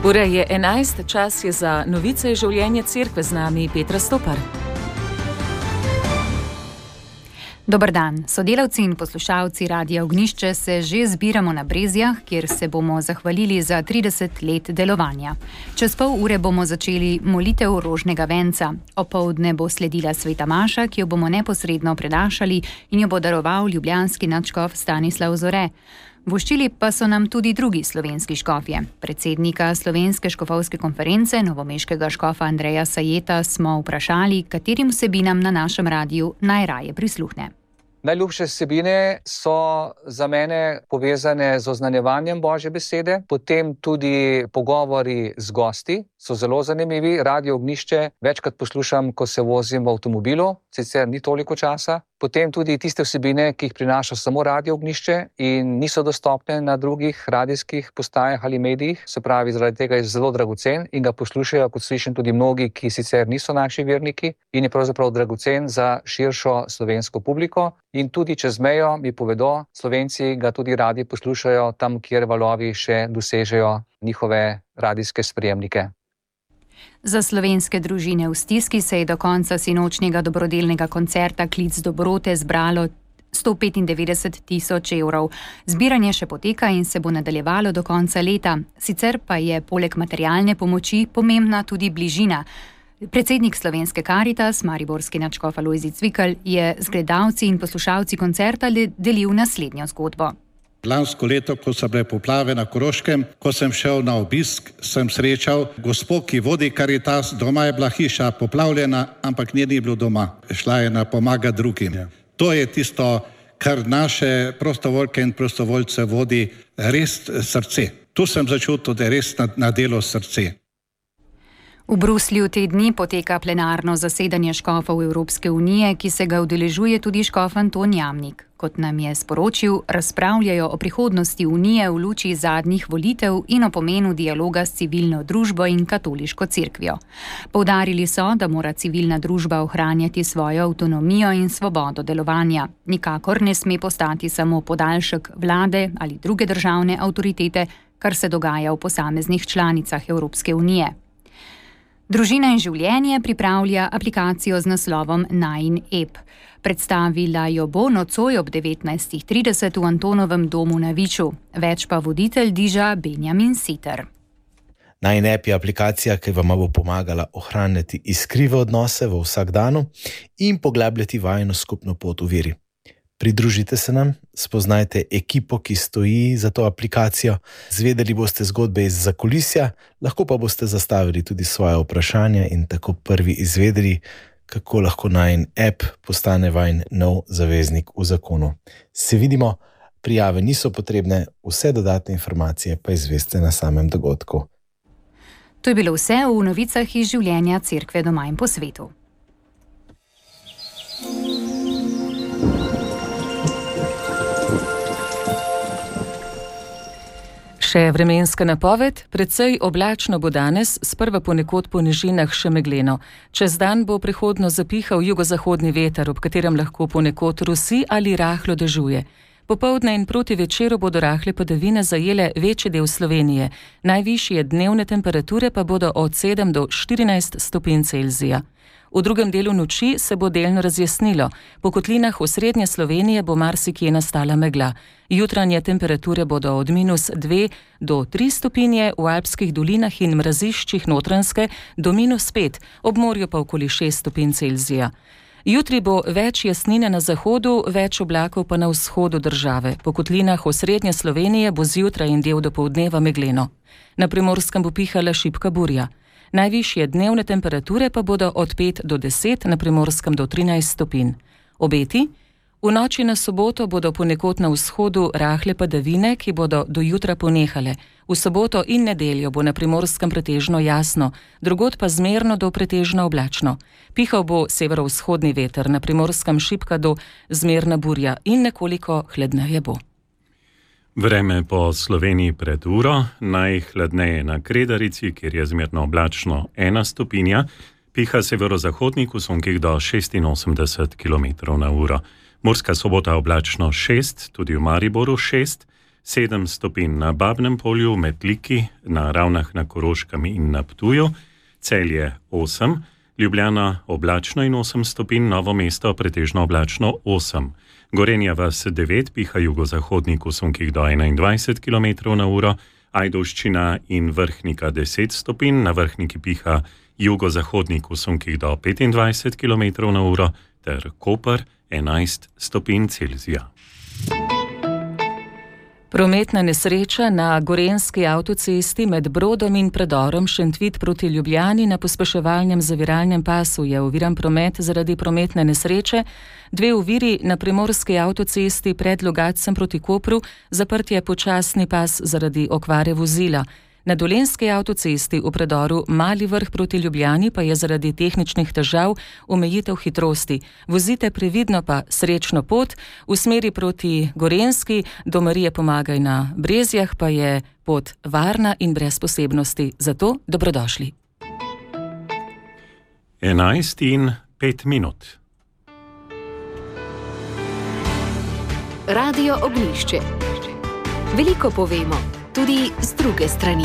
Ura je 11, čas je za novice iz življenja cerkve, z nami Petra Stopar. Dober dan, sodelavci in poslušalci Radia Ognjišče se že zbiramo na Brezjah, kjer se bomo zahvalili za 30 let delovanja. Čez pol ure bomo začeli molitev rožnega venca. Opoldne bo sledila sveta maša, ki jo bomo neposredno prenašali in jo bo daroval ljubljanski nadškof Stanislav Zore. Voščili pa so nam tudi drugi slovenski škofje. Predsednika Slovenske škofovske konference, novomeškega škofa Andreja Sajeta, smo vprašali, katerim vsebinam na našem radiju najraje prisluhne. Najljubše vsebine so za mene povezane z oznanjevanjem Božje besede, potem tudi pogovori z gosti so zelo zanimivi. Radio Ognjišče večkrat poslušam, ko se vozim v avtomobilu, sicer ni toliko časa. Potem tudi tiste vsebine, ki jih prinaša samo Radio Ognjišče in niso dostopne na drugih radijskih postajah ali medijih. Se pravi, zaradi tega je zelo dragocen in ga poslušajo, kot slišim, tudi mnogi, ki sicer niso naši verniki, in je pravzaprav dragocen za širšo slovensko publiko. In tudi čez mejo mi povedo, Slovenci ga tudi radi poslušajo tam, kjer valovi še dosežejo njihove radijske sprejemnike. Za slovenske družine v stiski se je do konca sinočnjega dobrodelnega koncerta Klic dobrote zbralo 195 tisoč evrov. Zbiranje še poteka in se bo nadaljevalo do konca leta. Sicer pa je poleg materialne pomoči pomembna tudi bližina. Predsednik Slovenske Karitas, mariborski nadškof Alojzij Cvikl, je z gledalci in poslušalci koncerta delil naslednjo zgodbo. Lansko leto, ko so bile poplave na Koroškem, ko sem šel na obisk, sem srečal gospo, ki vodi Karitas. Doma je bila hiša poplavljena, ampak nje ni bilo doma. Šla je na pomagati drugim. To je tisto, kar naše prostovoljke in prostovoljce vodi res srce. Tu sem začutil, da je res na delo srce. V Bruslju te dni poteka plenarno zasedanje škofov Evropske unije, ki se ga udeležuje tudi škof Anton Jamnik. Kot nam je sporočil, razpravljajo o prihodnosti unije v luči zadnjih volitev in o pomenu dialoga s civilno družbo in katoliško cerkvijo. Poudarili so, da mora civilna družba ohranjati svojo avtonomijo in svobodo delovanja. Nikakor ne sme postati samo podaljšek vlade ali druge državne avtoritete, kar se dogaja v posameznih članicah Evropske unije. Družina in življenje pripravlja aplikacijo z naslovom Najin ep. Predstavila jo bo nocoj ob 19:30 v Antonovem domu na Viču. Več pa voditelj Diža Benjamin Siter. Najin ep je aplikacija, ki vam bo pomagala ohranjati iskrive odnose v vsakdanu in poglabljati vajino skupno pot v veri. Pridružite se nam, spoznajte ekipo, ki stoji za to aplikacijo, zvedeli boste zgodbe iz zakulisja, lahko pa boste zastavili tudi svoje vprašanja in tako prvi izvedeli, kako lahko Najin ep postane vajin nov zaveznik v zakonu. Se vidimo, prijave niso potrebne, vse dodatne informacije pa izveste na samem dogodku. To je bilo vse v novicah iz življenja cerkve doma in po svetu. Še vremenska napoved, precej oblačno bo danes, sprva ponekod po nižinah še megleno. Čez dan bo prehodno zapihal jugozahodni veter, ob katerem lahko ponekod rusi ali rahlo dežuje. Popoldne in proti večeru bodo rahle padavine zajele večji del Slovenije. Najvišje dnevne temperature pa bodo od 7 do 14 stopinj Celzija. V drugem delu noči se bo delno razjasnilo. Po kotlinah v srednje Slovenije bo marsikje nastala megla. Jutranje temperature bodo od -2 do 3 stopinje, v alpskih dolinah in mraziščih Notranjske do -5, ob morju pa okoli 6 stopinj Celzija. Jutri bo več jasnine na zahodu, več oblakov pa na vzhodu države. Po kotlinah v srednje Slovenije bo zjutraj in del dopoldneva megleno. Na Primorskem bo pihala šibka burja. Najvišje dnevne temperature pa bodo od 5 do 10, na Primorskem do 13 stopinj. Obeti? V noči na soboto bodo ponekod na vzhodu rahle padavine, ki bodo do jutra ponehale. V soboto in nedeljo bo na Primorskem pretežno jasno, drugod pa zmerno do pretežno oblačno. Pihal bo severovzhodni veter, na Primorskem šibka do zmerna burja in nekoliko hladneje bo. Vreme po Sloveniji pred uro, najhladneje na Kredarici, kjer je zmerno oblačno 1 stopinja, piha severozahodnik v sunkih do 86 km/h. Murska Sobota oblačno 6, tudi v Mariboru 6, 7 stopinj na Babnem polju, Metliki, na Ravnah na Koroškem in na Ptuju, Celje 8, Ljubljana oblačno in 8 stopinj, Novo mesto pretežno oblačno 8. Gorenja vas 9, piha jugozahodnik v sunkih do 21 km/h, Ajdovščina in Vrhnika 10 stopinj, na Vrhniki piha jugozahodnik v sunkih do 25 km/h, ter Koper 11 stopinj Celzija. Prometna nesreča na gorenjski avtocesti med Brodom in predorom Šentvid proti Ljubljani na pospeševalnem zaviralnem pasu je oviran promet zaradi prometne nesreče, 2 oviri na primorski avtocesti pred Logatcem proti Kopru, zaprt je počasni pas zaradi okvare vozila. Na Dolenjski avtocesti v predoru Mali Vrh proti Ljubljani pa je zaradi tehničnih težav omejitev hitrosti. Vozite previdno pa srečno pot, v smeri proti Gorenjski do Marije Pomagaj na Brezjah pa je pot varna in brez posebnosti. Zato dobrodošli. 11:05. Radio Ognjišče. Veliko povemo, tudi z druge strani.